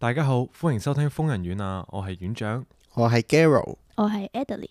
大家好，歡迎收聽瘋人院啊！我係院長，我係 Garo，我係 Adelie。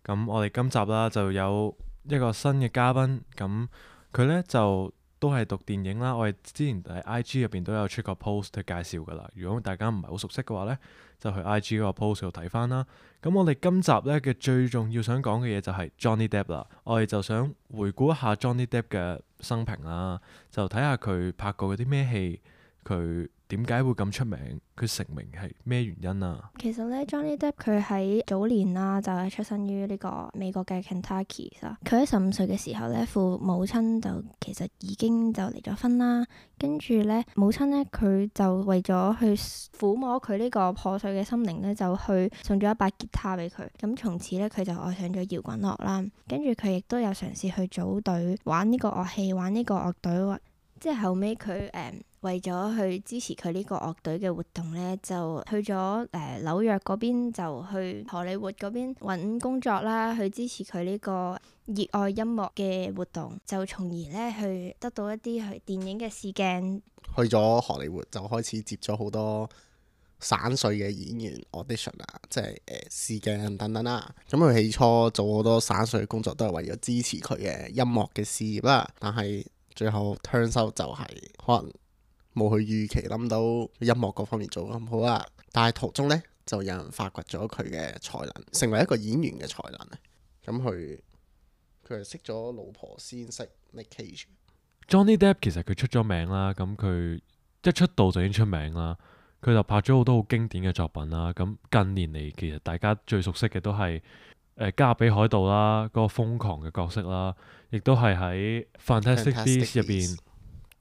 咁我哋今集啦就有一個新嘅嘉賓，咁佢呢就都係讀電影啦。我哋之前喺 IG 入邊都有出過 post 去介紹噶啦。如果大家唔係好熟悉嘅話呢，就去 IG 嗰個 post 度睇翻啦。咁我哋今集呢嘅最重要想講嘅嘢就係 Johnny Depp 啦。我哋就想回顧一下 Johnny Depp 嘅生平啦，就睇下佢拍過嗰啲咩戲，佢點解會咁出名，佢成名係咩原因啊？其實咧，Johnny Depp 佢喺早年啦，就係出生於呢個美國嘅 Kentucky 啦。佢喺15歲嘅時候咧，父母親就其實已經就離咗婚啦。跟住咧，母親咧佢就為咗去撫摸佢呢個破碎嘅心靈咧，就去送咗一把吉他俾佢。咁從此咧，佢就愛上咗搖滾樂啦。跟住佢亦都有嘗試去組隊玩呢個樂器，玩呢個樂隊。即係後尾佢為咗去支持佢呢個樂隊嘅活動咧，就去咗紐約嗰邊，就去荷里活嗰邊揾工作啦，去支持佢呢個熱愛音樂嘅活動，就從而咧去得到一啲去電影嘅試鏡。去咗荷里活就開始接咗好多散碎嘅演員 audition 啊，即係試鏡等等啦。咁佢起初做好多散碎嘅工作，都係為咗支持佢嘅音樂嘅事業啦。但係最後 turns out 就係可能冇佢預期諗到音樂嗰方面做得咁好啦。但係途中呢，就有人發掘咗佢嘅才能，成為一個演員嘅才能。咁佢係識咗老婆先識 Nick Cage。Johnny Depp 其實佢出咗名啦，咁佢一出道就已經出名啦。佢就拍咗好多好經典嘅作品啦。咁近年嚟，其實大家最熟悉嘅都係加勒比海盜啦，嗰個瘋狂嘅角色啦，亦都係喺 Fantastic Beasts 入邊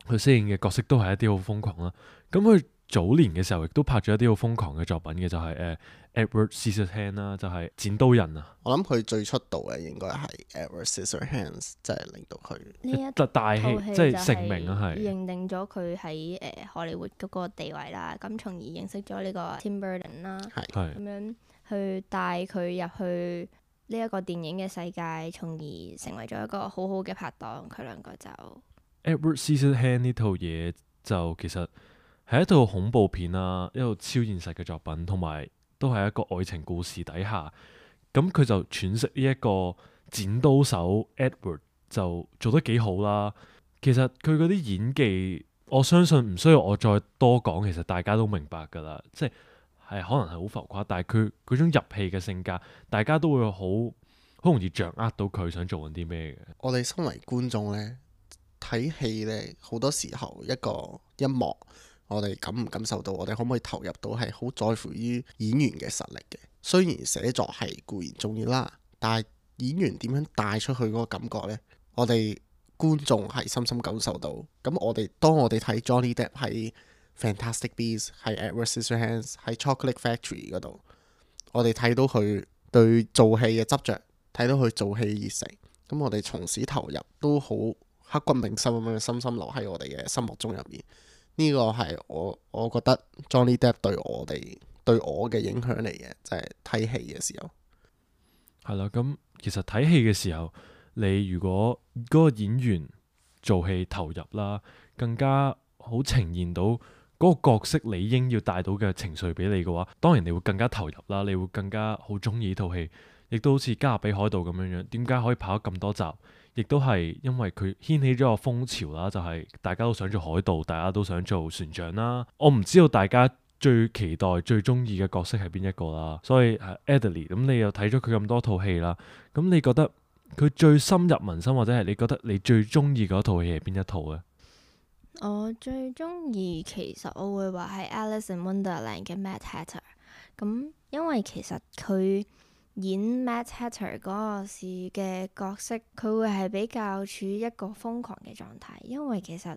佢飾演嘅角色都係一啲好瘋狂啦。咁佢早年嘅時候亦都拍咗一啲好瘋狂嘅作品嘅，就係Edward Scissorhands 啦，就係剪刀人啊。我諗佢最出道嘅應該係 Edward Scissorhands，即係令到佢呢一大戲即係成名啊，係認定咗佢喺荷里活嗰個地位啦。咁從而認識咗呢個 Tim Burton 啦，咁樣去帶佢入去呢一個電影嘅世界，從而成為咗一個好好嘅拍檔。佢兩個就 Edward Scissorhands 呢套嘢就其實係一套恐怖片啦，一套超現實嘅作品，同埋都係一個愛情故事底下，咁佢就詮釋呢一個剪刀手 Edward 就做得幾好啦。其實佢嗰啲演技，我相信唔需要我再多講，其實大家都明白㗎啦。即係可能係好浮誇，但係佢嗰種入戲嘅性格，大家都會好容易掌握到佢想做緊啲咩嘅。我哋身為觀眾呢，睇戲呢，好多時候一個音樂，我哋感唔感受到，我哋可唔可以投入到，係好在乎於演員嘅實力嘅。雖然寫作係固然重要啦，但係演員點樣帶出去嗰個感覺呢？我哋觀眾係深深感受到。咁當我哋睇 Johnny Depp 喺 Fantastic Beasts， 喺 Edward Scissorhands， 喺 Chocolate Factory 嗰度，我哋睇到佢對做戲嘅執着，睇到佢做戲嘅熱誠。咁我哋從此投入，都好刻骨銘心咁樣深深留喺我哋嘅心目中入面。呢個係我覺得 Johnny Depp 對我嘅影響嚟嘅，就係睇戲嘅時候。係啦，咁其實睇戲嘅時候，你如果嗰個演員做戲投入啦，更加好呈現到嗰個角色理應要帶到嘅情緒俾你嘅話，當然你會更加投入啦，你會更加好中意呢套戲。亦都好似加勒比海盜咁樣樣，點解可以拍咗咁多集？亦都係因為佢掀起咗個風潮啦，就係大家都想做海盜，大家都想做船長啦。我唔知道大家最期待、最中意嘅角色係邊一個啦。所以Adelie，咁你又睇咗佢咁多套戲啦，咁你覺得佢最深入民心，或者係你覺得你最中意嗰套戲係邊一套呢？我最中意其實我會話係 Alice in Wonderland 嘅 Mad Hatter。咁因為其實佢演 Mad Hatter 嗰個時嘅角色，佢會係比較處於一個瘋狂嘅狀態。因為其實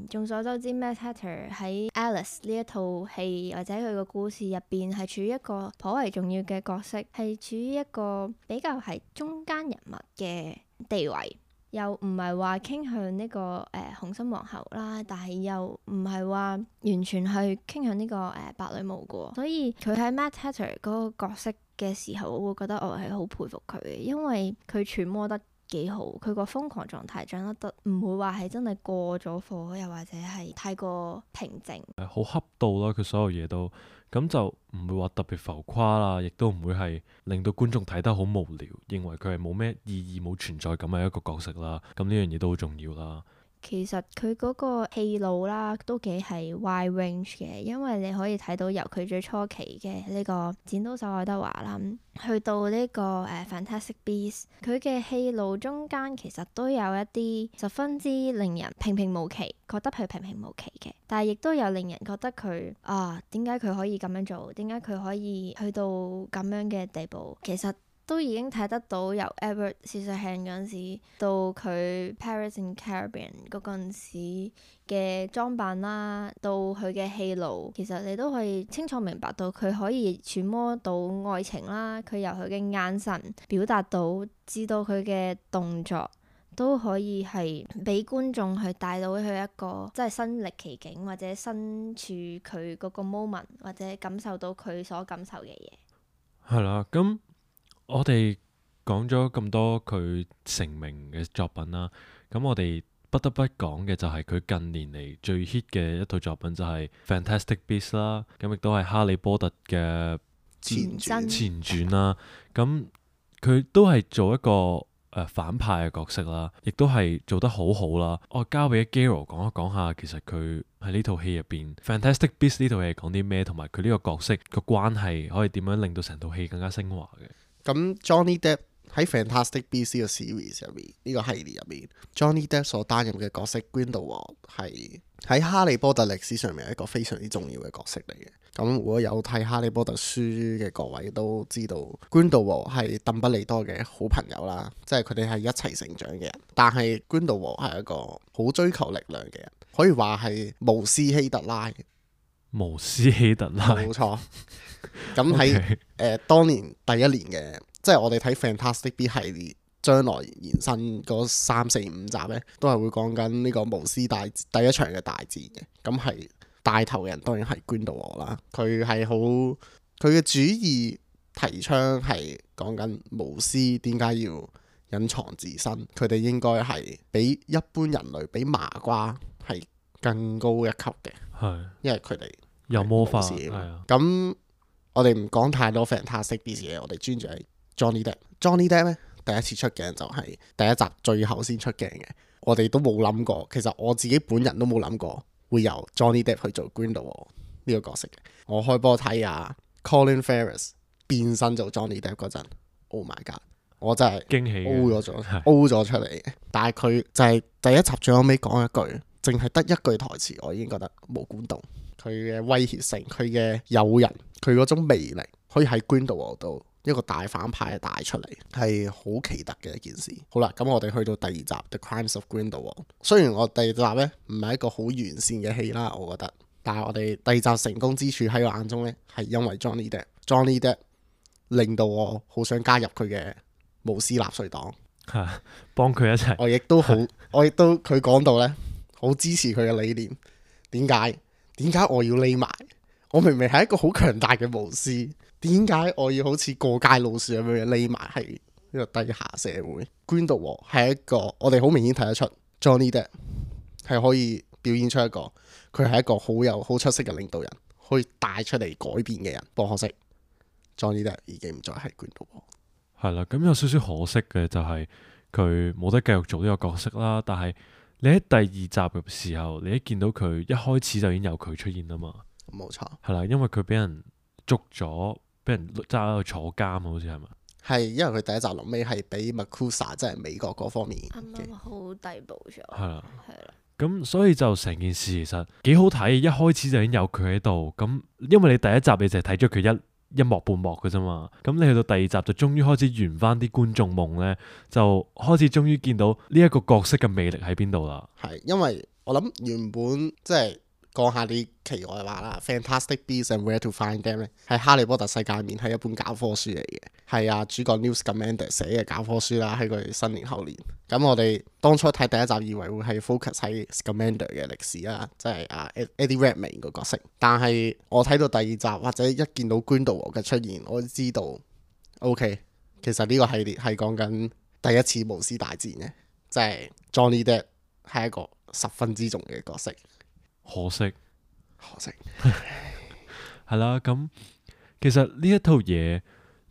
眾所周知 Mad Hatter 喺 Alice 呢一套戲或者佢個故事入邊係處於一個頗為重要嘅角色，係處於一個比較係中間人物嘅地位。又唔係話傾向呢個紅心皇后啦，但係又唔係話完全係傾向呢個白女巫嘅，所以佢喺 Mad Hatter 嗰個角色嘅時候，我會覺得我係好佩服佢嘅，因為佢揣摩得幾好，佢個瘋狂狀態掌握得唔會話係真係過咗火，又或者係太過平靜。好恰到啦，佢所有嘢都咁就唔會話特別浮誇啦，亦都唔會係令到觀眾睇得好無聊，認為佢係冇咩意義、冇存在感嘅一個角色啦。咁呢樣嘢都好重要啦。其實佢嗰個戲路啦，都幾係 wide range 嘅，因為你可以睇到由佢最初期嘅呢個剪刀手愛德華啦，去到呢個Fantastic Beasts，佢嘅戲路中間其實都有一啲十分之令人平平無奇，覺得佢平平無奇嘅，但係亦都有令人覺得佢點解佢可以咁樣做？點解佢可以去到咁樣嘅地步？其實都已經睇得到由 Edward Scissorhands 嗰陣時到佢 Pirates in Caribbean 嗰陣時嘅裝扮啦，到佢嘅戲路，其實你都可以清楚明白到佢可以揣摩到愛情啦，佢由佢嘅眼神表達到，至到佢嘅動作都可以係俾觀眾去帶到去一個即係身歷其境，或者身處佢嗰個 moment， 或者感受到佢所感受嘅嘢。係啦，咁我哋講咗咁多佢成名嘅作品啦，咁我哋不得不講嘅就係佢近年嚟最 hit 嘅一套作品就係 Fantastic Beasts 啦，咁亦都係哈利波特嘅前傳前傳啦。咁佢都係做一個反派嘅角色啦，亦都係做得好好啦。我交俾 Gero 講一講下，其實佢喺呢套戲入邊 Fantastic Beasts 呢套戲係講啲咩，同埋佢呢個角色個關係可以點樣令到成套戲更加升華嘅。咁 Johnny Depp 喺 Fantastic Beasts 呢個 series 入面，呢個系列入面，Johnny Depp 所擔任嘅角色 Grindelwald 係喺哈利波特歷史上面一個非常之重要嘅角色嚟嘅。咁如果有睇哈利波特書嘅各位都知道 Grindelwald 係鄧不利多嘅好朋友啦，即係佢哋係一齊成長嘅人。但係 Grindelwald 係一個好追求力量嘅人，可以話係巫師希特拉。巫師希特拉，冇錯。咁喺當年第一年嘅，即係我哋睇 Fantastic Beasts 系列將來延伸嗰3、4、5集呢，都係會講緊呢個巫師第一場嘅大戰嘅。咁係帶頭嘅人當然係 Grindelwald 啦。佢係好，佢嘅主意提倡係講緊巫師點解要隱藏自身，佢哋應該係比一般人類比麻瓜係更高一級嘅，係因為佢哋有魔法，係係啊。咁我哋唔講太多 Fantastic Beasts 嘢，我哋專注喺 Johnny Depp。Johnny Depp 咧第一次出鏡就係第一集最後先出鏡嘅，我哋都冇諗過，其實我自己本人都冇諗過會由 Johnny Depp 去做 Grindelwald 呢個角色嘅。我開波睇啊 Colin Farrell 變身做 Johnny Depp 嗰陣 ，Oh my god！我真係驚喜 O 咗出嚟嘅。但係佢就係第一集最後尾講一句，淨係得一句台詞，我已經覺得冇管動。佢嘅威脅性，佢嘅誘人，佢嗰種魅力，可以喺 Grindelwald 度一個大反派帶出嚟，係好奇特嘅一件事。好啦，咁我哋去到第二集 The Crimes of Grindelwald。雖然我第二集呢唔係一個好完善嘅戲啦，我覺得，但係我哋第二集成功之處喺我眼中呢，係因為 Johnny Depp。Johnny Depp 令到我好想加入佢嘅巫師納粹黨，幫佢一齊。我亦都佢講到呢，好支持佢嘅理念。點解我要匿埋？我明明係一個好強大嘅巫師，點解我要好似過街老鼠咁樣匿埋喺呢個低下社會？ Grindelwald 係一個我哋好明顯睇得出 Johnny Depp 係可以表現出一個佢係一個好出色嘅領導人，可以帶出嚟改變嘅人。不過可惜 Johnny Depp 已經唔再係 Grindelwald。係啦，咁有少少可惜嘅就係佢冇得繼續做呢個角色啦。但係你喺第二集嘅時候，你一見到佢一開始就已經有佢出現啦嘛。冇錯，係啦，因為佢俾人捉咗，俾人揸喺度坐監，好似係咪？係因為佢第一集臨尾係俾 MACUSA 即係美國嗰方面啱啱好逮捕咗。係啦，係啦。咁所以就成件事其實幾好睇，一開始就已經有佢喺度。咁因為你第一集你就係睇咗佢一幕半幕嘅啫嘛，咁你去到第二集就終於開始圓翻啲觀眾夢呢，就開始終於見到呢一個角色嘅魅力喺邊度啦。係因為我諗原本即係講下啲奇外話啦， Fantastic Beasts and Where to Find Them 咧，喺哈利波特世界面係一本教科書嚟嘅，係啊主角 Newt Scamander 寫嘅教科書啦，喺佢新年後年。咁我哋當初睇第一集以為會係 focus 喺 Scamander 嘅歷史啊，即係Eddie Redmayne 個角色。但係我睇到第二集或者一見到 Grindelwald 嘅出現，我就知道 OK， 其實呢個系列係講緊第一次巫師大戰嘅，即係 Johnny Depp 係一個十分之重嘅角色。可惜可惜係啦。咁其實呢一套嘢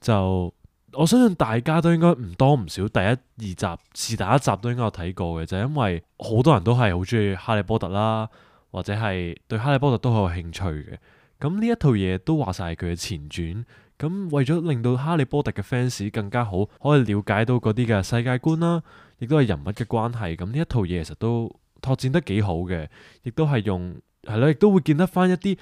就我相信大家都應該唔多唔少第一二集是第一集都應該有睇過嘅，就係因為好多人都係好中意哈利波特啦，或者係對哈利波特都好有興趣嘅。咁呢一套嘢都話晒係佢嘅前傳。咁為咗令到哈利波特嘅 fans 更加好，可以了解到嗰啲嘅世界觀啦，亦都係人物嘅關係。咁呢一套嘢其實都拓展得幾好嘅，亦都係用係咯，亦都會見得翻一啲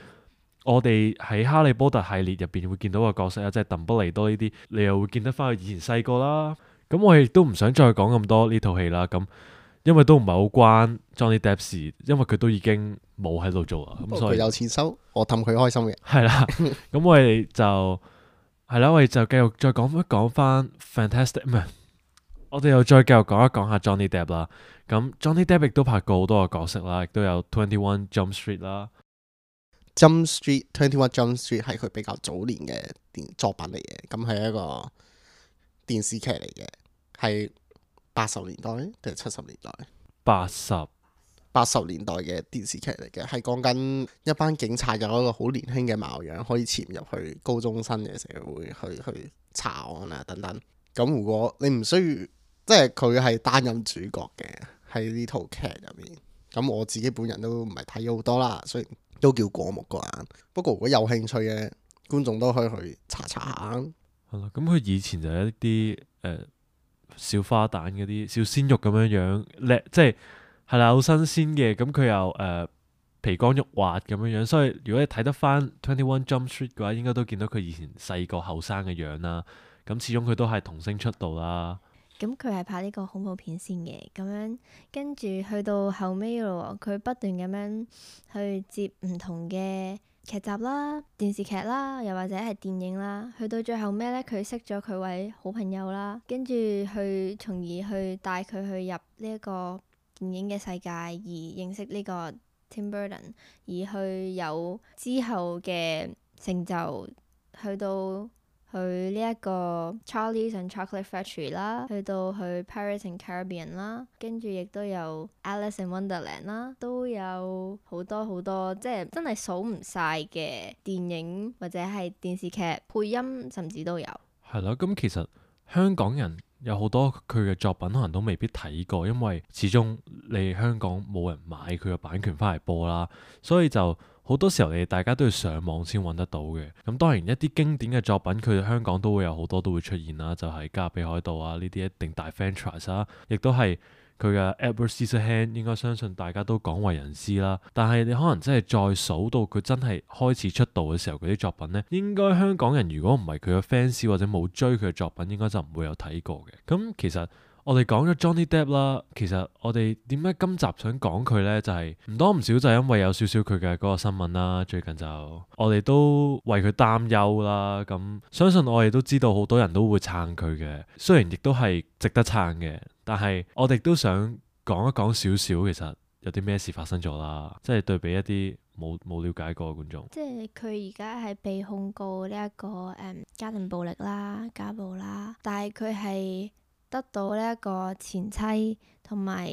我哋喺哈利波特系列入邊會見到嘅角色啊，即係鄧不利多呢啲，你又會見得翻佢以前細個啦。咁我亦都唔想再講咁多呢套戲啦。咁因為都唔係好關 Johnny Depp 事，因為佢都已經冇喺度做啦。咁所以佢有錢收，我氹佢開心嘅。係啦。咁我哋就係啦，我哋就繼續再講翻 Fantastic 唔係，我哋又再繼續講一講下 Johnny Depp 啦。咁 Johnny Depp 亦都拍過好多個角色啦，亦都有 21 Jump Street 啦。Jump Street 21 Jump Street 係佢比較早年嘅作品嚟嘅，咁係一個電視劇嚟嘅，係80年代定係70年代？80年代嘅電視劇嚟嘅，係講緊一班警察有一個好年輕嘅貌樣，可以潛入去高中生嘅社會去查案啊等等。咁如果你唔需要，即係佢係擔任主角嘅喺呢套劇入面。咁我自己本人都唔係睇咗好多啦，雖然都叫過目過眼。不過如果有興趣嘅觀眾都可以去查下。係咯，咁佢以前就係一啲小花旦嗰啲小鮮肉咁樣叻，即係啦，好新鮮嘅。咁佢又皮光肉滑咁樣，所以如果你睇得翻21 Jump Street 嘅話，應該都見到佢以前細個後生嘅樣啦。咁始終佢都係童星出道啦。咁佢係拍呢個恐怖片先嘅，咁樣跟住去到後尾咯，佢不斷咁樣去接唔同嘅劇集啦、電視劇啦，又或者係電影啦。去到最後尾咧，佢識咗佢位好朋友啦，跟住去從而去帶佢去入呢一個電影嘅世界，而認識呢個 Tim Burton，而去有之後嘅成就，去到去呢一個 Charlie's and Chocolate Factory 啦，去到去 Pirates and Caribbean 啦，跟住亦都有 Alice in Wonderland 啦，都有好多好多，即係真係數唔晒嘅電影或者係電視劇配音，甚至都有。係咯，咁其實香港人有好多佢嘅作品可能都未必睇過，因為始終你香港冇人買佢嘅版權翻嚟播啦，所以就好多時候你大家都要上網先揾得到嘅。咁當然一啲經典嘅作品，佢香港都會有好多都會出現啦，就係《加勒比海盜》啊，呢啲一定大 franchise 啦，亦都係佢嘅 Edward Scissorhands，應該相信大家都廣為人知啦。但係你可能真係再數到佢真係開始出道嘅時候，佢啲作品呢，應該香港人如果唔係佢嘅 fans 或者冇追佢嘅作品，應該就唔會有睇過嘅。咁其實我哋講咗 Johnny Depp 啦，其實我哋點解今集想講佢呢？就係唔多唔少就係因為有少少佢嘅嗰個新聞啦。最近就我哋都為佢擔憂啦。咁相信我哋都知道好多人都會撐佢嘅，雖然亦都係值得撐嘅，但係我哋都想講一講少少，其實有啲咩事發生咗啦。即係對比一啲冇了解過嘅觀眾，即係佢而家係被控告呢一個家庭暴力啦、家暴啦，但係佢係得到呢一個前妻同埋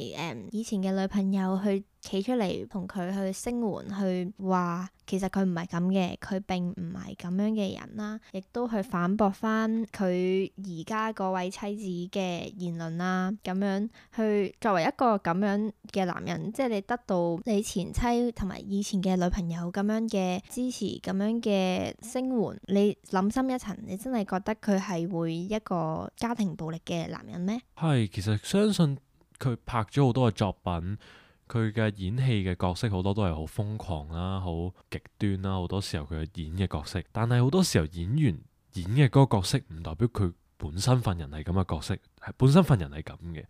以前嘅女朋友去企出嚟同佢去聲援，去話其實佢唔係咁嘅，佢並唔係咁樣嘅人啦，亦都去反駁翻佢而家嗰位妻子嘅言論啦，咁樣去作為一個咁樣嘅男人，即係你得到你前妻同埋以前嘅女朋友咁樣嘅支持，咁樣嘅聲援，你諗深一層，你真係覺得佢係會一個家庭暴力嘅男人咩？係，其實相信佢拍咗好多嘅作品，佢嘅演戲嘅角色好多都係好瘋狂啦、好極端啦，好多時候佢演嘅角色，但係好多時候演員演嘅嗰個角色唔代表佢本身份人係咁嘅角色，係本身份人係咁嘅。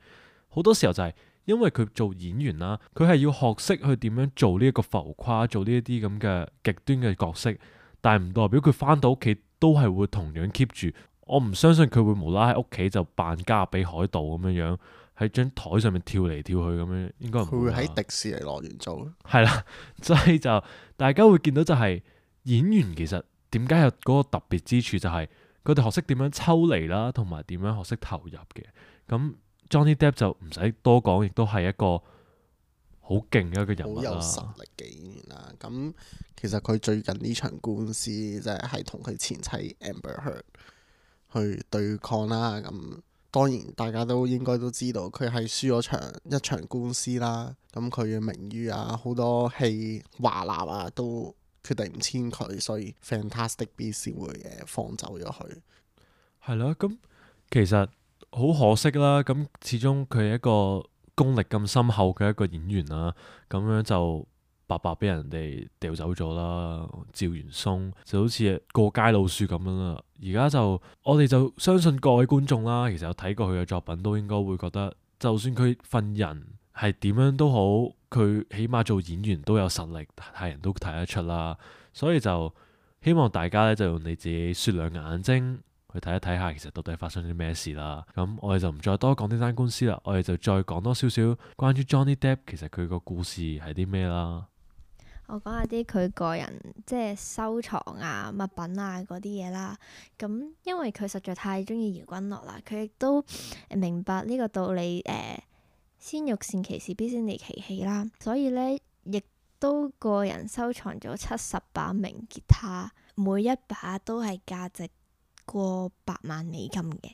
好多時候就係因為佢做演員啦，佢係要學識去點樣做呢一個浮誇，做呢一啲咁嘅極端嘅角色，但係唔代表佢翻到屋企都係會同樣 keep 住。我唔相信佢會無啦喺屋企就扮加勒比海盜咁樣樣喺張台上面跳嚟跳去咁樣，應該唔會。佢會喺迪士尼樂園做。係啦，所以就大家會見到就係演員其實點解有嗰個特別之處，就係佢哋學識點樣抽離啦，同埋點樣學識投入嘅。咁 Johnny Depp 就唔使多講，亦都係一個好勁嘅一個人物好有啦。實力嘅演員啦。咁其實佢最近呢場官司即係同佢前妻 Amber Heard 去對抗啦。咁當然大家都應該都知道，佢係輸咗一場官司啦。咁佢嘅名譽啊，好多戲華納啊都決定唔簽佢，所以 Fantastic Beasts 先會放走咗佢。係咯，咁其實好可惜啦。咁始終佢係一個功力咁深厚嘅一個演員啦，咁樣就白白俾人哋掉走咗啦。趙元松就好似過街老鼠咁樣啦。而家就我哋就相信各位觀眾啦，其實有睇過佢嘅作品都應該會覺得，就算佢份人係點樣都好，佢起碼做演員都有實力，係人都睇得出啦。所以就希望大家咧就用你自己雪亮嘅眼睛去睇一睇下，其實到底發生咗啲咩事啦。咁我哋就唔再多講呢單官司啦，我哋就再講多少少關於 Johnny Depp 其實佢個故事係啲咩啦。我講下啲佢個人即係收藏啊、物品啊嗰啲嘢啦。咁因為佢實在太中意搖滾樂啦，佢亦都明白呢個道理。先欲善其事，必先利其器啦。所以呢，亦都個人收藏咗70把名吉他，每一把都係價值過100萬美金嘅。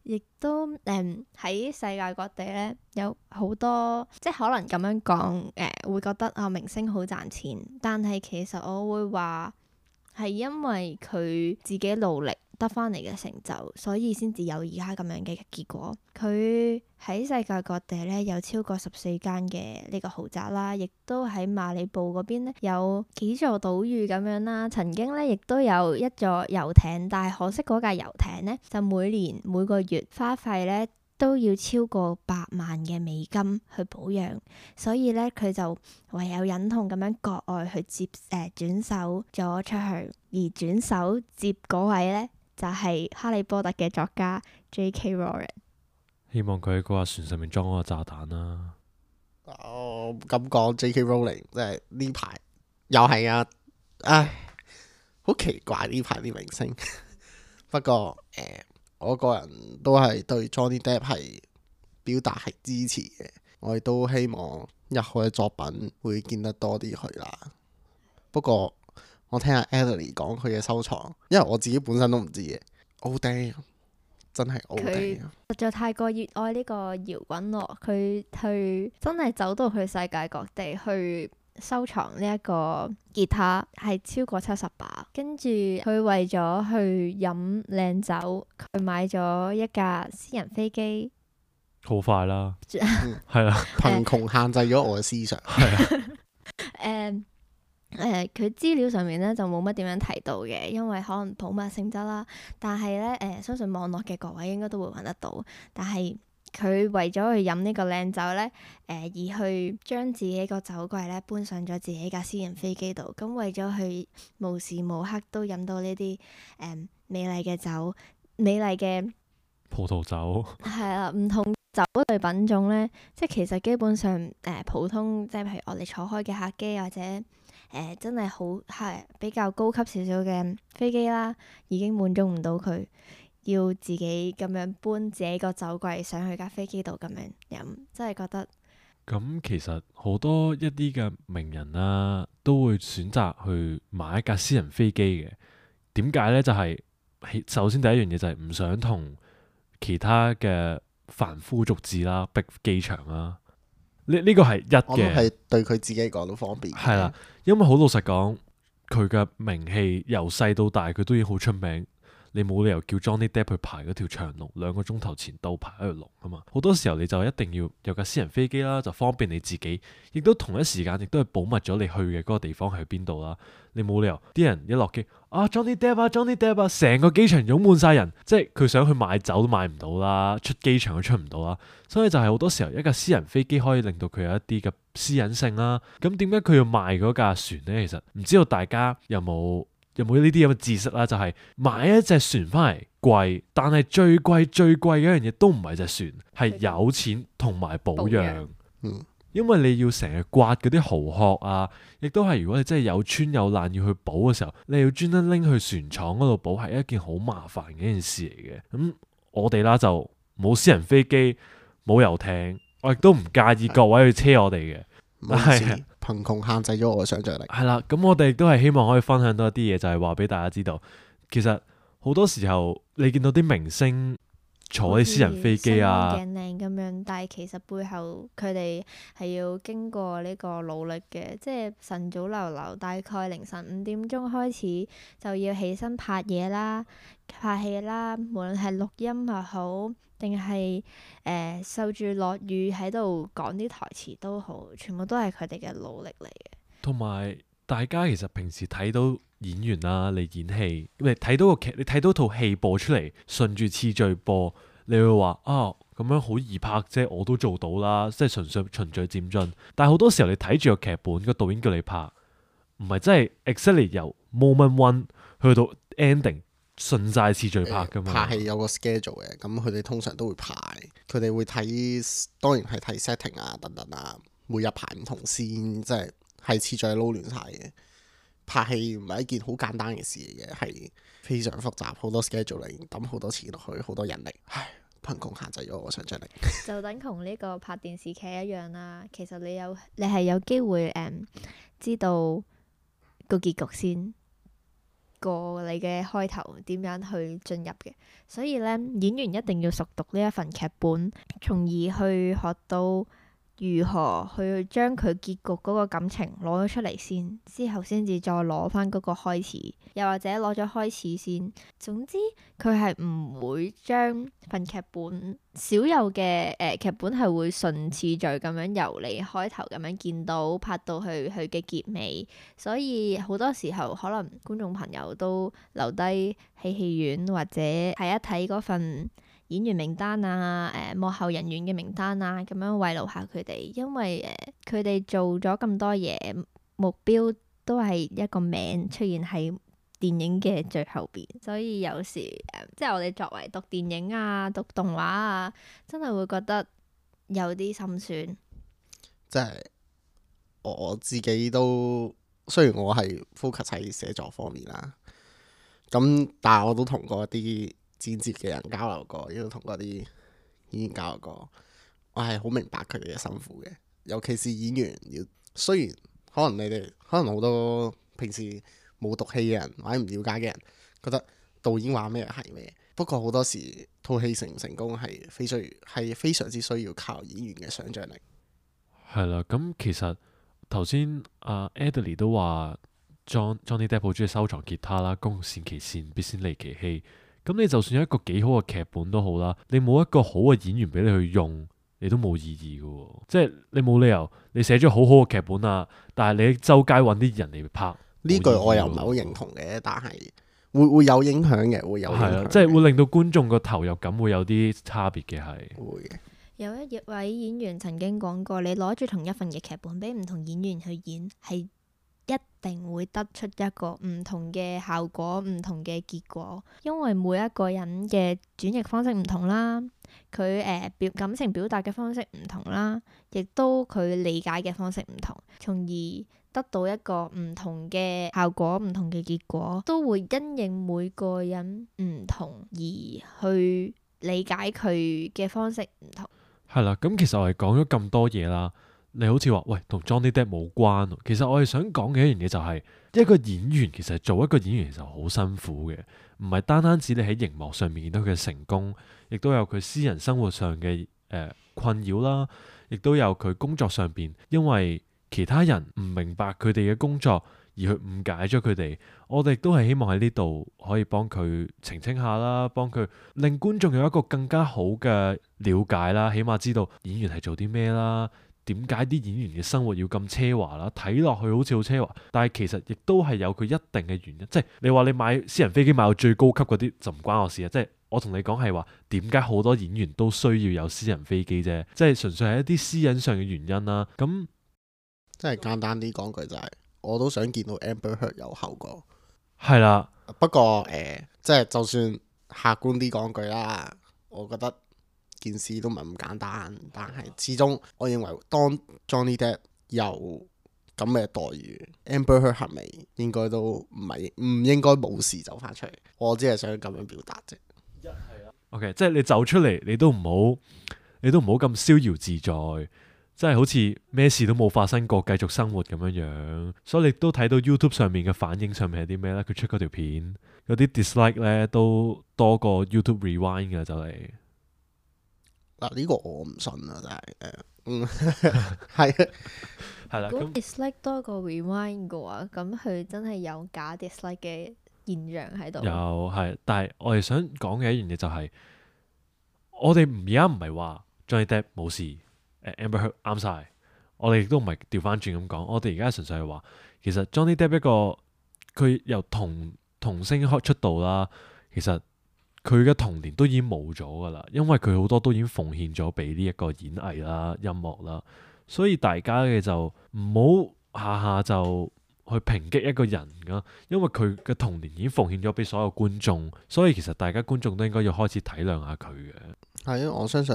亦都喺世界各地咧有好多，即係可能咁樣講會覺得明星好賺錢，但係其實我會話係因為佢自己努力得翻嚟嘅成就，所以先至有而家咁樣嘅結果。佢喺世界各地咧有超過14間嘅呢個豪宅啦，亦都喺馬里布嗰邊咧有幾座島嶼咁樣啦。曾經咧亦都有一座遊艇，但係可惜嗰架遊艇咧就每個月花費咧都要超過100萬嘅美金去保養，所以咧佢就唯有忍痛咁樣割愛去轉手咗出去，而轉手接嗰位咧就係哈利波特嘅作家 J.K. Rowling。希望佢喺嗰架船上面裝嗰個炸彈啦。咁講 J.K. Rowling 即係呢排又係啊，唉，好奇怪呢排啲明星。不過我個人都係對 Johnny Depp 係表達係支持嘅，我亦都希望日後嘅作品會見得多啲佢啦。不過我聽阿 Adley 講佢嘅收藏，因為我自己本身都唔知嘅。Oh damn，真係 Oh damn，實在太過熱愛呢個搖滾樂，佢去真係走到去世界各地去收藏呢一個吉他，係超過70把。跟住佢為咗去飲靚酒，佢買咗一架私人飛機。好快啦，係啦，貧窮限制咗我嘅思想。係啊，佢資料上面咧就冇乜點樣提到嘅，因為可能保密性質啦。但係咧相信網絡嘅各位應該都會揾得到。但係佢為咗去飲呢個靚酒咧，而去將自己個酒櫃咧搬上咗自己架私人飛機度，咁為咗去無時無刻都飲到呢啲美麗嘅酒、美麗嘅葡萄酒係啦，唔同酒類品種咧，即係其實基本上普通，即係譬如我哋坐開嘅客機或者真係好係比較高級少少嘅飛機啦，已經滿足唔到佢，要自己咁樣搬自己個酒櫃上去架飛機度咁樣飲，真係覺得咁其實好多一啲嘅名人啦，都會選擇去買一架私人飛機嘅。點解呢？就係首先第一樣嘢就係唔想同其他嘅凡夫俗子啦逼機場啦。呢個係一我諗嘅，係對佢自己講都方便。係啦，因為好老實講，佢嘅名氣由細到大，佢都已經好出名。你冇理由叫 Johnny Depp 去排嗰條長龍，2個鐘頭前到排一條龍啊嘛！好多時候你就一定要有架私人飛機啦，就方便你自己，亦都同一時間亦都係保密咗你去嘅嗰個地方係邊度啦。你冇理由啲人一落機Johnny Depp 啊 Johnny Depp 啊，成個機場湧滿晒人，即係佢想去買酒都買唔到啦，出機場都出唔到啦。所以就係好多時候一架私人飛機可以令到佢有一啲嘅私隱性啦。咁點解佢要賣嗰架船呢？其實唔知道大家有冇呢啲咁嘅知識啦？就係買一隻船翻嚟貴，但係最貴嘅一樣嘢都唔係隻船，係有錢同埋保養。因為你要成日刮嗰啲蠔殼啊，亦都係如果你真係有穿有爛要去補嘅時候，你要專登拎去船廠嗰度補，係一件好麻煩嘅一件事嚟嘅。咁我哋啦就冇私人飛機，冇遊艇，我亦都唔介意各位去車我哋嘅。唔好意思係貧窮限制咗我嘅想像力。係啦，咁我哋亦都係希望可以分享到一啲嘢，就係話俾大家知道，其實好多時候你見到啲明星坐啲私人飛機啊，鏡靚咁樣，但係其實背後佢哋係要經過呢個努力嘅，即係晨早流流，大概凌晨5點鐘開始就要起身拍嘢啦、拍戲啦，無論係錄音又好，定係受住落雨喺度講啲台詞都好，全部都係佢哋嘅努力嚟嘅。同埋大家其實平時睇到演員啦，你演戲，你睇到個劇，你睇到套戲播出嚟，順住次序播，你會話啊咁樣好易拍啫，我都做到啦，即係純粹循序漸進。但係好多時候你睇住個劇本，個導演叫你拍，唔係真係 exactly 由 moment one 去到 ending 順晒次序拍噶嘛。拍戲有個 schedule 嘅，咁佢哋通常都會排，佢哋會睇，當然係睇 setting 啊等等啊，每日排唔同先，即係次序撈亂晒嘅。拍戲唔係一件好簡單嘅事嚟嘅，係非常複雜，好多 schedule 嚟，抌好多錢落去，好多人力，唉，貧窮限制咗我想像力。就等同呢個拍電視劇一樣啦。其實你係有機會知道個結局先過你嘅開頭點樣去進入嘅，所以咧演員一定要熟讀呢一份劇本，從而去學到如何去將佢結局嗰個感情攞咗出嚟先，之後先至再攞翻嗰個開始，又或者攞咗開始先。總之佢係唔會將份劇本少有嘅劇本係會順次序咁樣由你開頭咁樣見到拍到去佢嘅結尾，所以好多時候可能觀眾朋友都留低喺戲院或者睇一睇嗰份演員名單啊、幕後人員嘅名單啊，咁樣慰勞下佢哋，因為佢哋做咗咁多嘢，目標都係一個名出現喺電影嘅最後邊，所以有時即係我哋作為讀電影啊、讀動畫啊，真係會覺得有啲心酸。即係我自己都，雖然我係 focus 喺寫作方面啦，咁但係我都同過一啲剪接嘅人交流過，亦都同嗰啲演員交流過，我係好明白佢哋嘅辛苦嘅。尤其是演員要，雖然可能你哋可能好多平時冇讀戲嘅人或者唔了解嘅人覺得導演話咩係咩，不過好多時套戲成唔成功係非常之需要靠演員嘅想像力。係啦，咁其實頭先阿 Adley 都話 Johnny Depp 好中意收藏吉他啦，公善其事，必先利其器。咁你就算有一個幾好嘅劇本都好啦，你冇一個好嘅演員俾你去用，你都冇意義嘅喎。即係你冇理由你寫咗好好嘅劇本啊，但係你周街揾啲人嚟拍，呢句我又唔係好認同嘅，但係會有影響嘅，會有影響嘅，即係會令到觀眾個投入感會有啲差別嘅係。會嘅。有一位演員曾經講過，你攞住同一份嘅劇本俾唔同演員去演，係一定會得出一個唔同嘅效果、唔同嘅結果，因為每一個人嘅轉譯方式唔同啦，佢感情表達嘅方式唔同啦，亦都佢理解嘅方式唔同，從而得到一個唔同嘅效果、唔同嘅結果，都會因應每個人唔同而去理解佢嘅方式唔同。係啦，咁其實我哋講咗咁多嘢啦，你好似話喂同 Johnny Depp 冇關，其實我哋想講嘅一樣嘢就係一個演員其實做一個演員其實好辛苦嘅，唔係單單止你喺熒幕上面見到佢嘅成功，亦都有佢私人生活上嘅困擾啦，亦都有佢工作上邊因為其他人唔明白佢哋嘅工作而去誤解咗佢哋，我哋都係希望喺呢度可以幫佢澄清下啦，幫佢令觀眾有一個更加好嘅了解啦，起碼知道演員係做啲咩啦，點解啲演員嘅生活要咁奢華啦，睇落去好似好奢華，但係其實亦都係有佢一定嘅原因，即係你話你買私人飛機買到最高級嗰啲就唔關我事啊，即係我同你講係話點解好多演員都需要有私人飛機啫，即係純粹係一啲私隱上嘅原因啦，咁即係簡單啲講句就係，我都想見到 Amber Heard 有效果。係啦，不過即係就算客觀啲講句啦，我覺得件事都唔係咁簡單。但係始終我認為當 Johnny Depp 有咁嘅待遇，Amber Heard 係咪應該都唔應該冇事走翻出嚟？我只係想咁樣表達啫。OK，即係你走出嚟，你都唔好咁逍遙自在，即係好似咩事都冇發生過，繼續生活咁樣樣。所以你都睇到 YouTube 上面嘅反應上面係啲咩呢？佢出嗰條片，有啲 dislike 呢都多過 YouTube rewind 嘅就嚟。嗱，呢個我唔信啊，真係係啊，係啦，如果咁 dislike 多過 rewind 嘅話，咁佢真係有假 dislike 嘅現象喺度。有係，但係我哋想講嘅一樣嘢就係，我哋而家唔係話 Johnny Depp 冇事，Amber Heard 啱晒，我哋亦都唔係調翻轉咁講，我哋而家純粹係話，其實 Johnny Depp 一個佢由童星開出道啦，其實佢嘅童年都已經冇咗噶啦，因為佢好多都已經奉獻咗俾呢一個演藝啦、音樂啦，所以大家嘅就唔好下下就去抨擊一個人噶，因為佢嘅童年已經奉獻咗俾所有觀眾，所以其實大家觀眾都應該要開始體諒下佢嘅。係啊，我相信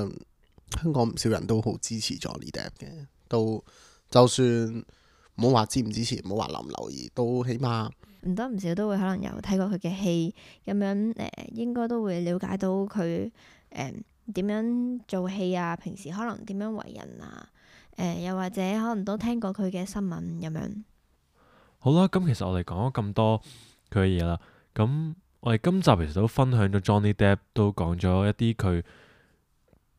香港唔少人都好支持 Johnny Depp 嘅，都就算唔好話支唔支持，唔好話留唔留意，都起碼唔多唔少都會可能有睇過佢嘅戲，咁樣應該都會了解到佢點樣做戲啊，平時可能點樣為人啊，又或者可能都聽過佢嘅新聞咁樣。好啦，咁其實我哋講咗咁多佢嘅嘢啦，咁我哋今集其實都分享咗 Johnny Depp，都講咗一啲佢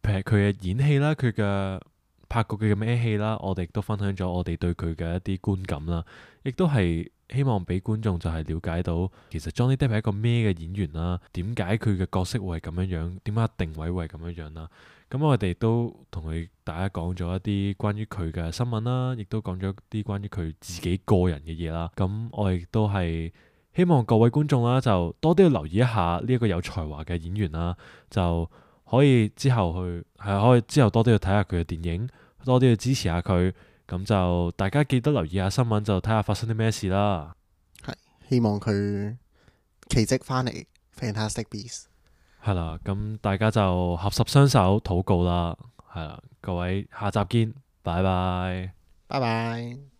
嘅演戲啦，佢嘅拍過佢嘅咩戲啦，我哋亦都分享咗我哋對佢嘅一啲觀感啦，亦都係希望俾觀眾就係了解到其實 Johnny Depp 係一個咩嘅演員啦，點解佢嘅角色會係咁樣樣，點解定位會係咁樣樣啦。咁我哋都同大家講咗一啲關於佢嘅新聞啦，亦都講咗啲關於佢自己個人嘅嘢啦。咁我亦都係希望各位觀眾啦，就多啲去留意一下呢一個有才華嘅演員啦，就可以之後可以之後多啲去睇下佢嘅電影，多啲去支持下佢。咁就大家記得留意下新聞，就睇下發生啲咩事啦。係希望佢奇蹟翻嚟 Fantastic Beasts。係啦，咁大家就合十雙手禱告啦。係啦，各位下集見，拜拜。拜拜。